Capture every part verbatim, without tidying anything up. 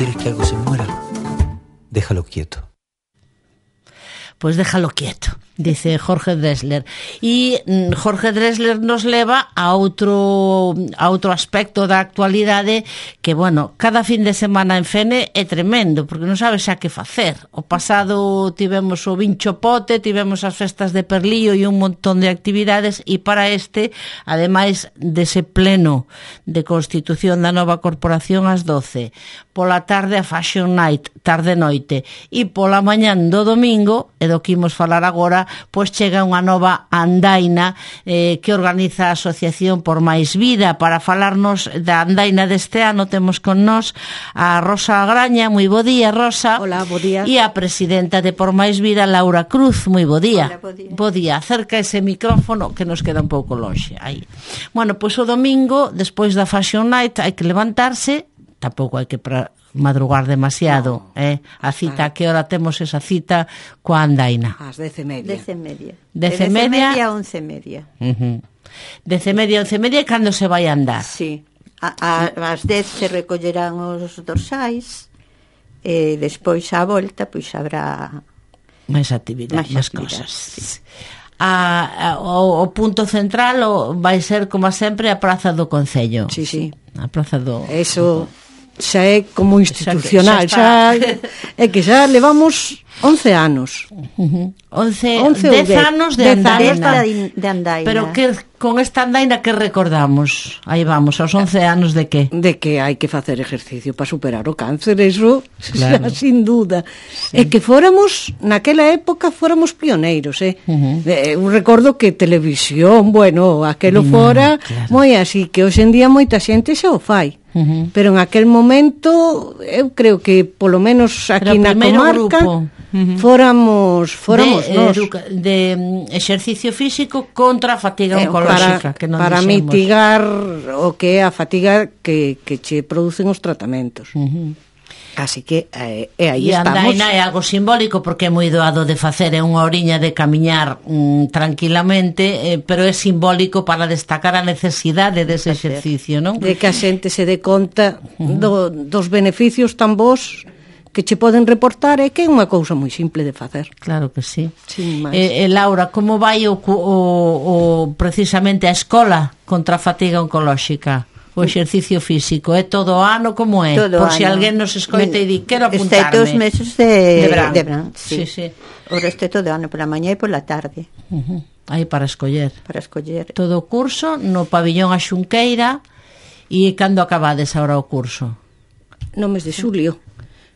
quieres que algo se muera, déjalo quieto. Pues déjalo quieto, dice Jorge Drexler. E Jorge Drexler nos leva a outro a outro aspecto da actualidade que, bueno, cada fin de semana en Fene é tremendo, porque non sabes xa que facer. O pasado tivemos o Vincho Pote, tivemos as festas de Perlío e un montón de actividades, e para este, ademais dese pleno de constitución da nova corporación ás doce, pola tarde a Fashion Night, tarde-noite, e pola mañán do domingo, e do que imos falar agora, pois chega unha nova andaina eh, que organiza a Asociación por Máis Vida. Para falarnos da andaina deste ano temos con nós a Rosa Graña. Moi bo día, Rosa. Hola, bo día. E a presidenta de Por Máis Vida, Laura Cruz. Moi bo día. Hola, bo día. Bo día. Acerca ese micrófono que nos queda un pouco lonxe. Aí. Bueno, pois o domingo, despois da Fashion Night, hai que levantarse, tampouco hai que pra madrugar demasiado, no. eh? A cita, a que hora temos esa cita coa andaina? Ás dez e media. Dez e media. Dez e media a once e media. Uh-huh. Dez e media a once e media, cando se vai andar? Sí. A, a, ás dez se recollerán os dorsais e despois á volta pois habrá máis actividades, máis cosas. Sí. A, a, o, o punto central o, vai ser, como sempre, a Praza do Concello. Sí, sí. A Praza do... Eso xa é como institucional, xa, xa, xa é que xa levamos once anos. Uh-huh. once, once dez anos de andaina. de andaina. Pero que con esta andaina que recordamos? Aí vamos, aos once anos de que? De que hai que facer exercicio para superar o cáncer, eso, claro. Xa, sin duda. Sí. É que fóramos, naquela época, fóramos pioneiros, eh? Uh-huh. Eh, un recordo que televisión, bueno, aquelo no, fora, claro. Moi así, que hoxe en día moita xente xa o fai. Uh-huh. Pero en aquel momento eu creo que polo menos aquí na comarca grupo. Uh-huh. fóramos fóramos de, nós educa- de um, exercicio físico contra a fatiga eh, oncolóxica para, que non para dixemos. mitigar o que é a fatiga que, que che producen os tratamentos. Uh-huh. Así que eh, e aí e estamos. E andaina é algo simbólico porque é moi doado de facer, é unha oriña de camiñar mm, tranquilamente, eh, pero é simbólico para destacar a necesidade dese exercicio, non? De que a xente se dé conta do, dos beneficios tan bons que che poden reportar, é que é unha cousa moi simple de facer. Claro que sí. Sin máis. Eh, eh, Laura, como vai o, o, o precisamente a escola contra a fatiga oncolóxica? O exercicio físico, é todo o ano como é? Todo por si ano. alguén nos escoita e di, quero apuntarme. Excepto os meses de, de verán, de verán sí. sí. Sí, sí. O resto todo o ano, pola mañá e pola tarde. Uh-huh. Aí para escoller. Para escoller. Todo o curso no pabillón a Xunqueira. E cando acabades agora o curso? No mes de xulio.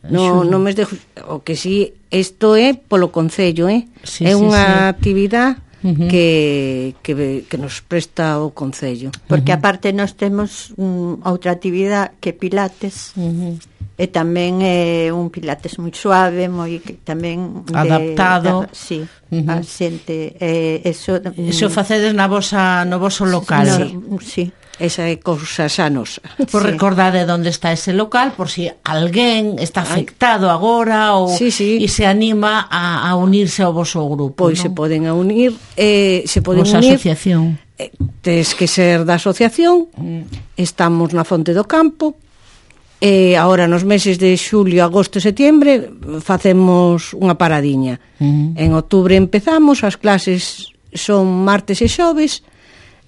No, no mes de o que si, isto é polo concello, eh? Sí, é sí, unha sí. actividade Uh-huh. que, que, que nos presta o concello. Porque uh-huh. aparte nós temos um, outra actividade que Pilates, uh-huh. e tamén é un Pilates moi suave, moi que tamén de, adaptado. Da, sí, uh-huh. a xente eh, eso, eso facedes na vosa, no voso local. No, sí. Esa é cousa xa nosa. Por sí. Recordade onde está ese local, por si alguén está afectado Ay. agora ou sí, sí. e se anima a, a unirse ao voso grupo. Pois non? se poden a unir, eh, se poden Vosa unir. asociación. Eh, tes que ser da asociación. Mm. Estamos na Fonte do Campo. E agora nos meses de xulio, agosto e setembro facemos unha paradiña. Mm. En outubro empezamos, as clases son martes e xoves.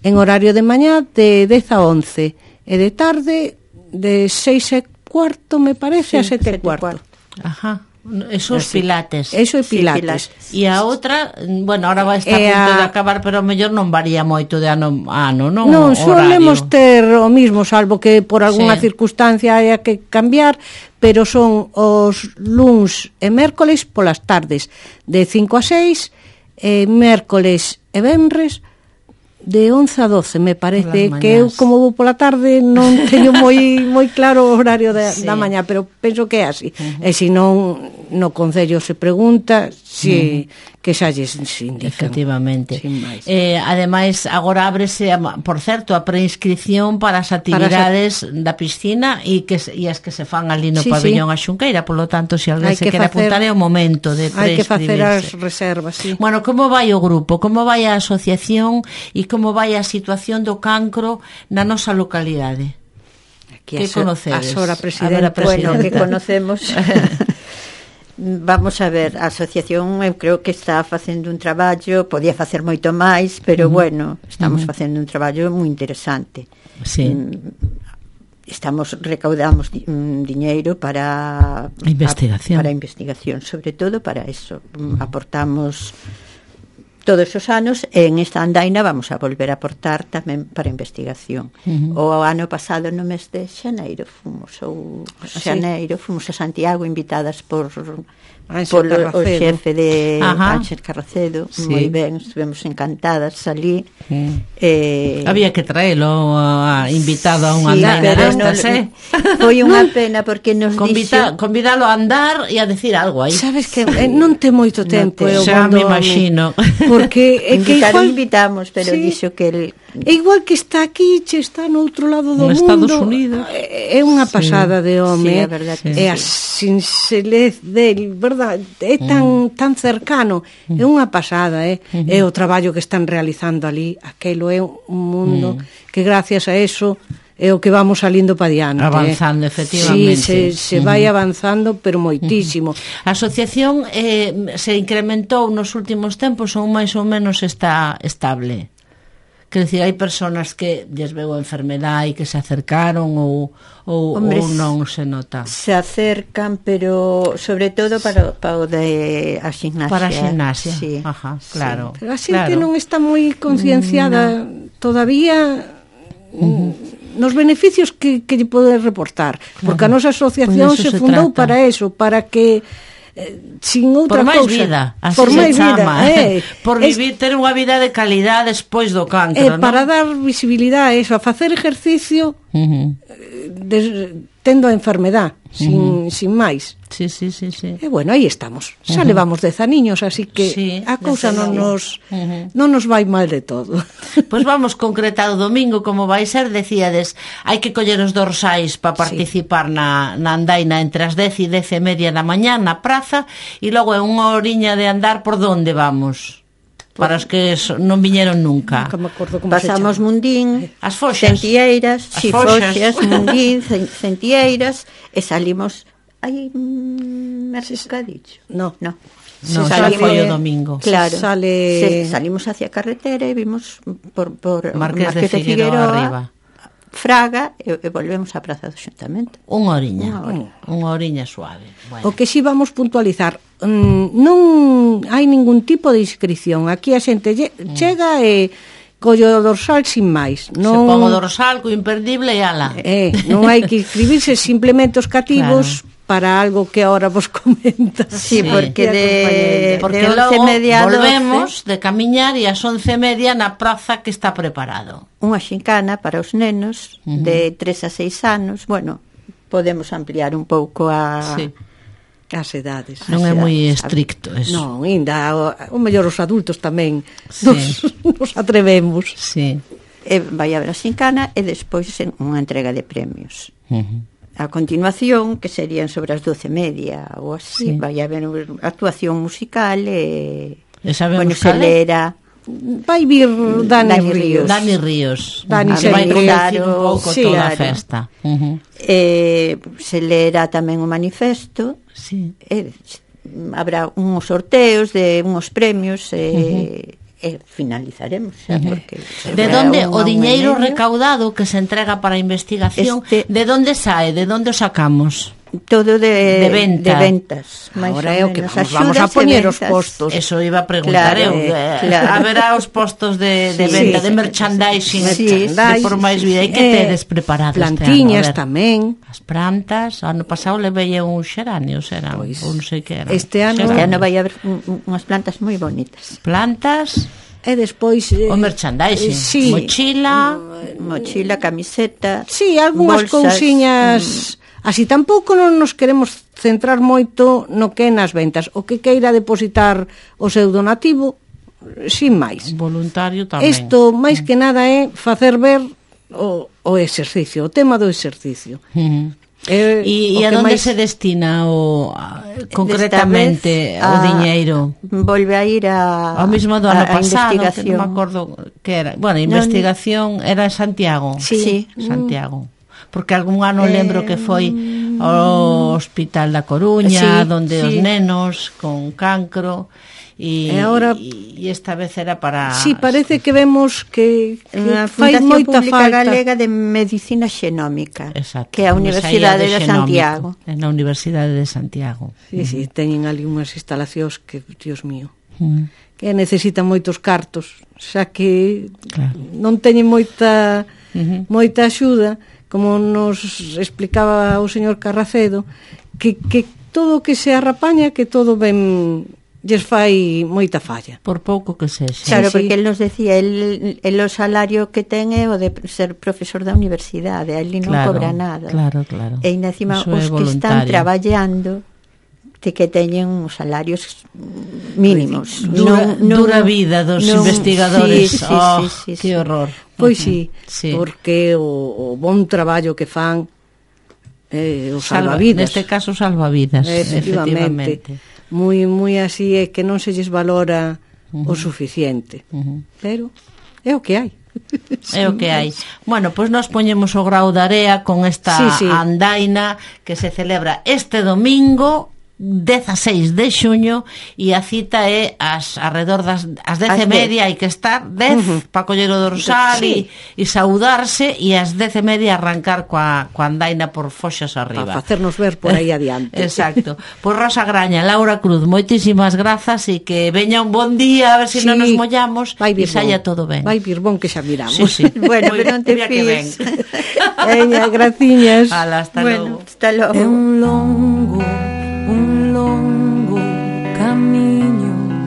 En horario de mañá de dez a once e de tarde de seis e cuarto, me parece, sí, a sete e cuarto. Ajá. Eso é Pilates. Eso é Pilates. E sí, a outra, bueno, ahora vai estar a punto a... de acabar, pero mellor non varía moito de ano a ano, non? Non, solemos ter o mismo, salvo que por algunha sí. circunstancia haya que cambiar, pero son os luns e mércoles polas tardes de cinco a seis, e mércoles e venres de once a doce, me parece, que eu como vou pola tarde non teño moi moi claro o horario da, sí. da mañá, pero penso que é así. Uh-huh. E se non no concello se pregunta si uh-huh. que xa lles indican. Efectivamente. Eh, ademais, agora ábrese, por certo, a preinscripción para as actividades para da piscina e que e as que se fan ali no sí, pabillón sí. a Xunqueira, polo tanto, se alguén se quere facer, apuntar é o momento de preinscribirse. Hai que facer as reservas, sí. Bueno, como vai o grupo? Como vai a asociación e como vai a situación do cancro na nosa localidade? Aquí que a so- conocedes? a Sora A ver, a presidenta. presidenta. Bueno, que conocemos. Vamos a ver, a asociación eu creo que está facendo un traballo, podía facer moito máis, pero uh-huh. bueno, estamos uh-huh. facendo un traballo moi interesante. Sí. Estamos recaudamos di, um, diñeiro para a investigación. A, para a investigación, sobre todo para eso. Uh-huh. Aportamos todos os anos e en esta andaina vamos a volver a aportar tamén para investigación. Uh-huh. O ano pasado no mes de xaneiro fomos ou xaneiro fomos a Santiago invitadas por por o xefe de Ánxel Carracedo, sí. Moi ben, estivemos encantadas ali. Sí. Eh, había que traelo a, invitado a unha sí, andaina destas, no, eh? Foi unha pena porque nos Convida, dixo... convidalo a andar e a decir algo aí. Sabes que eh, non te moito tempo, no te, eu xa me imagino. Porque é que igual igual invitamos, pero sí. Dixo que el... é igual que está aquí, che está no outro lado do no mundo. Estados Unidos. É unha pasada sí. de home. Sí, a verdade sí. que É a sinxelez del, verdad, é tan mm. tan cercano, mm. é unha pasada, eh? Mm-hmm. É o traballo que están realizando ali, aquelo é un mundo mm. que gracias a eso é o que vamos salindo pa diante. Avanzando, eh. efectivamente. Sí, se, se uh-huh. vai avanzando, pero moitísimo. Uh-huh. A asociación eh, se incrementou nos últimos tempos ou máis ou menos está estable? Quer dizer, hai personas que lles veu a enfermedade e que se acercaron ou, ou, Hombre, ou non se nota? Se acercan, pero sobre todo para, para o de a ximnasia. Para a ximnasia, sí. Ajá, claro. Sí. Pero a xente claro. non está moi concienciada no. todavía uh-huh. nos beneficios que, que lle pode reportar, porque a nosa asociación se, se fundou trata. Para eso, para que eh, sin outra por máis cousa, vida, así por se máis chama, vida, eh, por vivir, es, ter unha vida de calidad despois do cancro, eh, ¿no? Para dar visibilidade a eso, a facer ejercicio uh-huh. de, tendo a enfermedad, sin, uh-huh. sin máis. Sí, sí, sí, sí. E bueno, aí estamos. Xa uh-huh. levamos dez aniños, así que sí, a cousa non nos uh-huh. non nos vai mal de todo. Pois pues vamos concretar o domingo como vai ser, decíades, hai que coller os dorsais para participar sí. na, na andaina entre as dez e dez e media da mañá na praza e logo é unha horiña de andar por donde vamos. Para os que non viñeron nunca. Nunca me acordo como pasamos Mundín, as Foxas, Centieiras, as si, Foxas, Foxas Mundín, Centieiras e salimos hai mercadillo. No, no. No, xa foi o domingo. Claro. Sale... Se, salimos hacia a carretera e vimos por, por Marqués, Marqués de, de Figueroa, Figueroa arriba. Fraga e, e volvemos á Praza do Xuntamento. Unha oriña, unha oriña suave. Bueno. O que si vamos puntualizar, mm, non hai ningún tipo de inscripción. Aquí a xente lle, mm. chega e collo dorsal sin máis. Non, se pon o dorsal co imperdible e ala. Eh, non hai que inscribirse, simplemente os cativos... Claro. Para algo que ahora vos comenta. Sí, sí. porque de, porque de once logo media volvemos doce de camiñar e ás once e media na praza que está preparado. Unha xincana para os nenos uh-huh. de tres a seis anos. Bueno, podemos ampliar un pouco a... Sí. As edades. Non as é edades. moi estricto eso. Non, ainda o, o mellor os adultos tamén sí. nos, nos atrevemos. Sí. E vai haber a xincana e despois unha entrega de premios. Uh-huh. A continuación, que serían sobre as doce e media ou así, sí. vai haber actuación musical e... E sabemos bueno, se lera... Vai vir Dani, Dani Ríos. Dani Ríos. Dani se vai conducir un pouco sí, toda claro. a festa. Uh-huh. Eh, se lera tamén o manifesto. Sí. Eh, habrá uns sorteos de uns premios e... Uh-huh. e finalizaremos xa, uh-huh. porque de donde o diñeiro recaudado que se entrega para a investigación este, de donde sae, de donde o sacamos? Todo de, de, venta. de ventas. Ahora é o que vamos, vamos a poñer os postos. Eso iba a preguntar claro, eu. Eh, claro. Haberá os postos de, de sí, venta, sí, de merchandising, sí, sí, de por máis vida. E que eh, tedes preparado plantiñas este ano? tamén. As plantas, ano pasado levei un xeranio, será, pois, ou non sei que era. Este ano, este ano vai haber unhas plantas moi bonitas. Plantas... E despois eh, o merchandising, eh, sí. mochila, mochila, camiseta, sí, algunhas cousiñas mm. así. Tampouco non nos queremos centrar moito no que é nas ventas. O que queira depositar o seu donativo, sin máis. Voluntario tamén. Isto máis que nada é facer ver o, o exercicio, o tema do exercicio. Uh-huh. Eh, e, e a onde máis... se destina o concretamente vez, o diñeiro? Volve a ir a ao mismo do ano a, a pasado, que non me acordo que era. Bueno, a investigación no, era en Santiago. Sí, Santiago. porque algún ano eh, lembro que foi ao Hospital da Coruña, sí, donde sí. os nenos con cancro. E, e, ahora, e esta vez era para... Sí, parece que vemos que, que fai moita falta. Galega de Medicina Xenómica. Exacto, que é a Universidade de, de Santiago. É na Universidade de Santiago. Sí, uh -huh. sí, teñen ali unhas instalacións que, Dios mío, uh -huh. que necesitan moitos cartos, xa que claro. non teñen moita uh -huh. moita axuda, como nos explicaba o señor Carracedo, que, que todo o que se arrapaña, que todo ben... lles fai moita falla. Por pouco que sexa. Claro, sí, porque sí. el nos decía, el, el o salario que ten é o de ser profesor da universidade, ele non claro, cobra nada. Claro, claro. E encima os que están traballando de que teñen os salarios mínimos. Dura, non, dura vida dos non, investigadores. Sí, sí, oh, sí, sí, que horror. Pois sí, sí, porque o, o bon traballo que fan eh, os Salva, salvavidas. Neste caso salvavidas, efectivamente. efectivamente. Moi, moi así é que non se lles valora uh -huh. o suficiente. Uh -huh. Pero é o que hai. É o que hai. Bueno, pois pues nos poñemos o grao de area con esta sí, sí. andaina que se celebra este domingo dezaseis de xuño e a cita é as arredor das as dez e media, hai que estar dez uh -huh. para coller o dorsal sí. e, e saudarse, e as dez e media arrancar coa, coa andaina por foxas arriba. Para facernos ver por aí adiante. Exacto. Pois Rosa Graña, Laura Cruz, moitísimas grazas e que veña un bon día, a ver se si sí. non nos mollamos e saia todo ben. Vai vir bon que xa miramos. Sí, sí. Bueno, pero non te fíes. Veña, graciñas. Ala, hasta bueno, logo. Hasta logo.